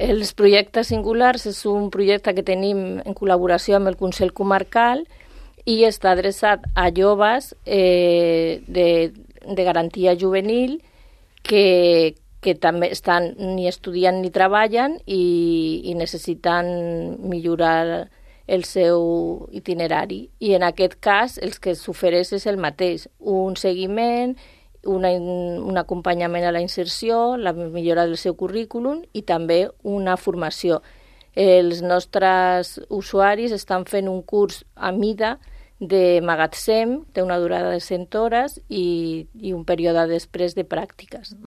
Els projectes singulars és un projecte que tenim en col·laboració amb el Consell Comarcal i està adreçat a joves de garantia juvenil que també estan ni estudiant ni treballen i necessiten millorar el seu itinerari. I en aquest cas el que s'ofereix és el mateix, un seguiment, un acompanyament a la inserció, la millora del seu currículum i també una formació. Els nostres usuaris estan fent un curs a mida de magatzem, té una durada de 100 hores i un període després de pràctiques.